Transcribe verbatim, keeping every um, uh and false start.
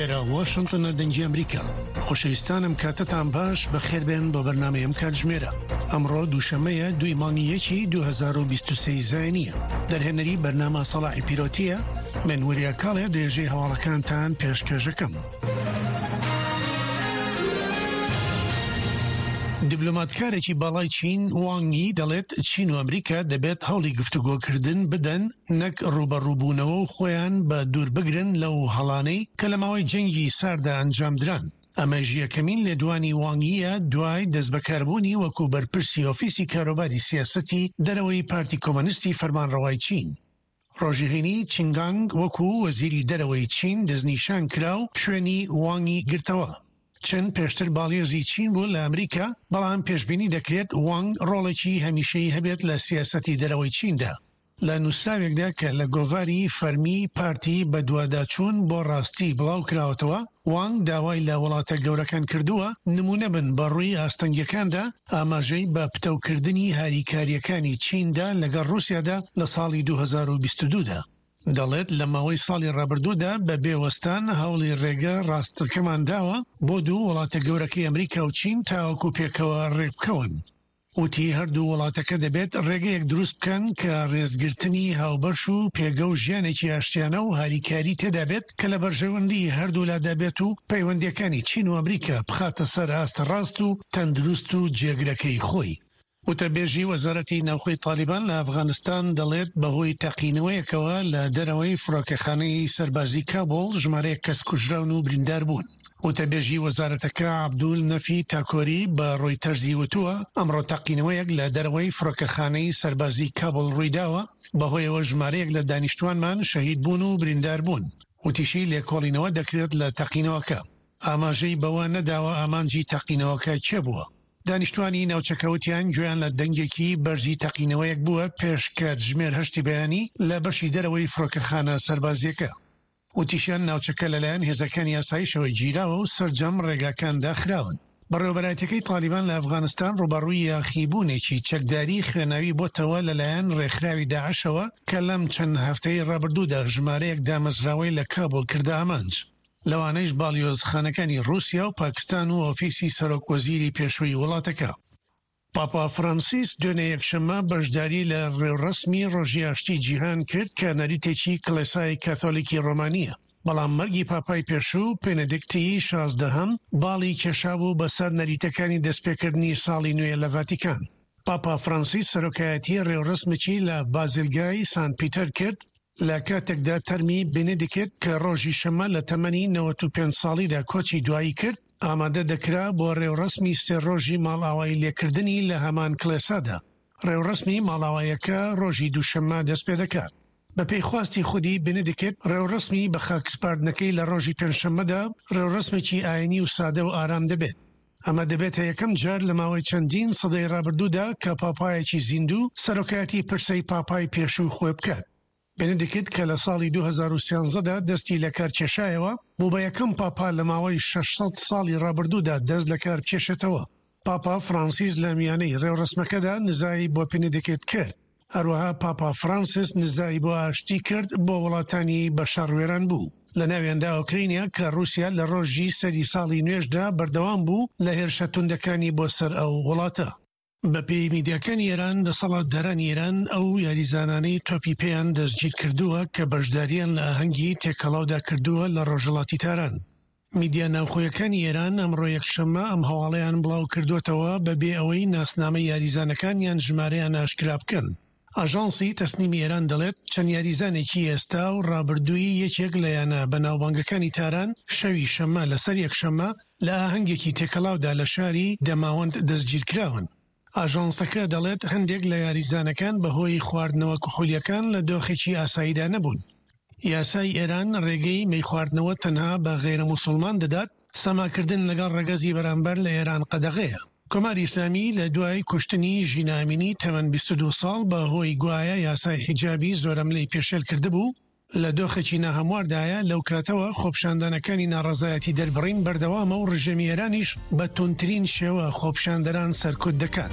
ئێرە واشنتنە دەنگی ئەمریکا. خۆشەویستانم کاتتان باش، بەخێربێن بۆ بەرنامەی ئەم کاتژمێرە. ئەمڕۆ دووشەممەیە دووی مانگی یەکی دوو هەزار و بیست و سێ زایینیە. دەرهێنەری بەرنامە سەڵاحی پیرۆتیە، من وریا کاڵێ درێژەی هەواڵەکانتان پێشکەشەکەم. دیبلۆماتکارێکی باڵای چین وانگ یی دەڵێت چین و ئەمریکا دەبێت هەوڵی گفتوگۆکردن بدەن نەک ڕووبەڕووبوونەوە و خۆیان بە دوور بگرن لەو هەڵانەی کە لە ماوەی جەنگی ساردا ئەنجامدران. ئەمەش یەکەمین لێدوانی وانگیە دوای دەستبەکاربوونی وەکو بەرپرسی ئۆفیسی کاروباری سیاسەتی دەرەوەی پارتی کۆمەنیستی فەرمانڕەوای چین. ڕۆژی هەینی چینگانگ وەکو وەزیری دەرەوەی چین دەستنیشان کرا و شوێنی وانگی گرتەوە. چن پێشتر باڵیۆزی چین بوو لە ئەمریکا، بەڵام پێشبینی دەکرێت وانگ ڕۆڵێکی هەمیشەیی هەبێت لە سیاسەتی دەرەوەی چیندا. لە نووسراوێکدا کە لە گۆڤاری فەرمی پارتی بەدواداچوون بۆ ڕاستی بڵاوکراوەتەوە، وانگ داوای لە وڵاتە گەورەکان کردووە نمونە بن بە ڕووی ئاستەنگیەکاندا، ئاماژەی بە پتەوکردنی هاریکاریەکانی چیندا لەگەڵ ڕووسیادا لە ساڵی دوو هەزار و بیست و دوو دا. دەڵێت لە ماوەی ساڵی ڕابردوودا بە بێ وەستان هەوڵی ڕێگە ڕاستەکەمان داوە بۆ دوو وڵاتە گەورەکەی ئەمریکا و چین تاوەکو پێکەوە ڕێکبکەون. وتی هەردوو وڵاتەکە دەبێت ڕێگەیەک دروست بکەن کە ڕێزگرتنی هاوبەش و پێگە و ژیانێکی ئاشتیانە و هاریکاری تێدا بێت کە لە بەرژەوەندی هەردوولادا بێت و پەیوەندیەکانی چین و ئەمریکا بخاتە سەر ئاستە ڕاست و تەندروست و جێگرەکەی خۆی. وتەبێژی وەزارەتی ناوخۆی تالیبان لە ئەفغانستان دەڵێت بەهۆی تەقینەوەیەکەوە لە دەرەوەی فڕۆکەخانەی سەربازی کابوڵ ژمارەیەک کەس کوژراون و بریندار بوون. وتەبێژی وەزارەتەکە عەبدول نەفی تاکۆری بە ڕۆیتەرزی وتووە ئەمڕۆ تەقینەوەیەک لە دەرەوەی فڕۆکەخانەی سەربازی کابوڵ ڕوویداوە، بەهۆیەوە ژمارەیەک لە دانیشتوانمان شەهید بوون و بریندار بوون. وتیشی لێکۆڵینەوە دەکرێت لە تەقینەوەکە. ئاماژەی بەوە نەداوە ئامانجی تەقینەوەکە کێ بووە. دانیشتوانی ناوچەکە وتیان گوێیان لە دەنگێکی بەرزی تەقینەوەیەک بووە پێش کاتژمێر هەشتی بەیانی لە بەشی دەرەوەی فڕۆکەخانە سەربازیەکە. وتیشیان ناوچەکە لەلایەن هێزەکانی ئاسایشەوە گیراوە و سەرجەم ڕێگاکان داخراون. بەڕێوەبەرایەتیەکەی تالیبان لە ئەفغانستان ڕووبەڕووی یاخیبوونێکی چەکداری خوێناوی بۆتەوە لەلایەن ڕێکخراوی داعشەوە کە لەم چەند هەفتەی ڕابردوودا ژمارەیەک دامەزراوەی لە کابوڵ کردە ئامانج، لەوانەیش باڵیۆزخانەکانی ڕووسیا و پاکستان و ئۆفیسی سەرۆک وەزیری پێشووی وڵاتەکە. پاپا فرانسیس دوێنێ یەکشەممە بەشداری لە ڕێوڕەسمی ڕۆژی ئاشتی جیهان کرد کە نەریتێکی کڵێسای کاثۆلیکی ڕۆمانییە، بەڵام مەرگی پاپای پێشوو پێنەدیکتی شازدەهەم باڵی کێشابوو بەسەر نەریتەکانی دەستپێکردنی ساڵی نوێ لە ڤاتیکان. پاپا فرانسیس سەرۆکایەتی ڕێوڕەسمێکی لە بازیلگای سان پیتەر کرد لە کاتێکدا تەرمی بێنێدیکت کە ڕۆژی شەممە لە تەمەنی نەوەد و پێنج ساڵیدا کۆچی دوایی کرد ئامادە دەکرا بۆ ڕێوڕەسمی سێ ڕۆژی ماڵئاوایی لێکردنی لە هەمان کڵێسادا. ڕێوڕەسمی ماڵئاواییەکە ڕۆژی دووشەممە دەستپێدەکات. بەپێی خواستی خودی بێنێدیکت ڕێوڕەسمی بەخاکسپاردنەکەی لە ڕۆژی پێنجشەممەدا ڕێوڕەسمێکی ئاینی و سادە و ئارام دەبێت. ئەمە دەبێتە یەکەم جار لە ماوەی چەندین سەدەی ڕابردوودا کە پاپایەکی زیندوو سەرۆکایەتی پرسەی پاپای پێشوو خۆی بکات. بێنێدیکت کە لە ساڵی دوو هەزار و سیانزە دا دەستی لەکارکێشایەوە، بوو بە یەکەم پاپا لە ماوەی شەش سەد ساڵی ڕابردوودا دەست لەکاربکێشێتەوە. پاپا فرانسیس لە میانەی ڕێوڕەسمەکەدا نزای بۆ بێنێدیکت کرد. هەروەها پاپا فرانسیس نزای بۆ ئاشتی کرد بۆ وڵاتانی بە شەڕ وێران بوو، لە ناویاندا ئۆکرینیا کە ڕووسیا لە ڕۆژی سەری ساڵی نوێشدا بەردەوام بوو لە هێرشە توندەکانی بۆ سەر ئەو وڵاتە. بەپێی میدیاکانی ئێران، دەسەڵاتدارانی ئێران ئەو یاریزانانەی تۆپی پێیان دەستگیرکردووە کە بەشدارییان لە ئاهەنگی تێکەڵاودا کردووە لە ڕۆژهەڵاتی تاران. میدیا ناوخۆیەکانی ئێران ئەمڕۆ یەکشەممە ئەم هەواڵەیان بڵاوکردووەتەوە بەبێ ئەوەی ناسنامەی یاریزانەکان یان ژمارەیان ئاشکرا بکەن. ئاژانسی تەسنیمی ئێران دەڵێت چەند یاریزانێکی ئێستا و ڕابردووی یەکێک لە یانە بەناوبانگەکانی تاران شەوی شەممە لەسەر یەکشەممە لە ئاهەنگێکی تێکەڵاودا لە شاری دەماوەند دەستگیرکراون. ئاژانسەکە دەڵێت هەندێک لە یاریزانەکان بەهۆی خواردنەوە کحولیەکان لە دۆخێکی ئاساییدا نەبوون. یاسای ئێران ڕێگەی مەیخواردنەوە تەنها بە غەیرە موسڵمان دەدات، سەماکردن لەگەڵ ڕەگەزی بەرامبەر لە ئێران قەدەغەیە. کۆماری ئیسلامی لە دوای کوشتنی ژینا ئەمینی تەمەن بیست و دوو ساڵ بە هۆی گوایە یاسای حیجابی زۆرەملێی پێشێل کردبوو، لە دۆخێکی ناهەمواردایە، لەو کاتەوە خۆپیشاندانەکانی ناڕەزایەتی دەربڕین بەردەوامە و ڕژێمی ئێرانیش بە توندترین شێوە خۆپیشاندەران سەرکوت دەکات.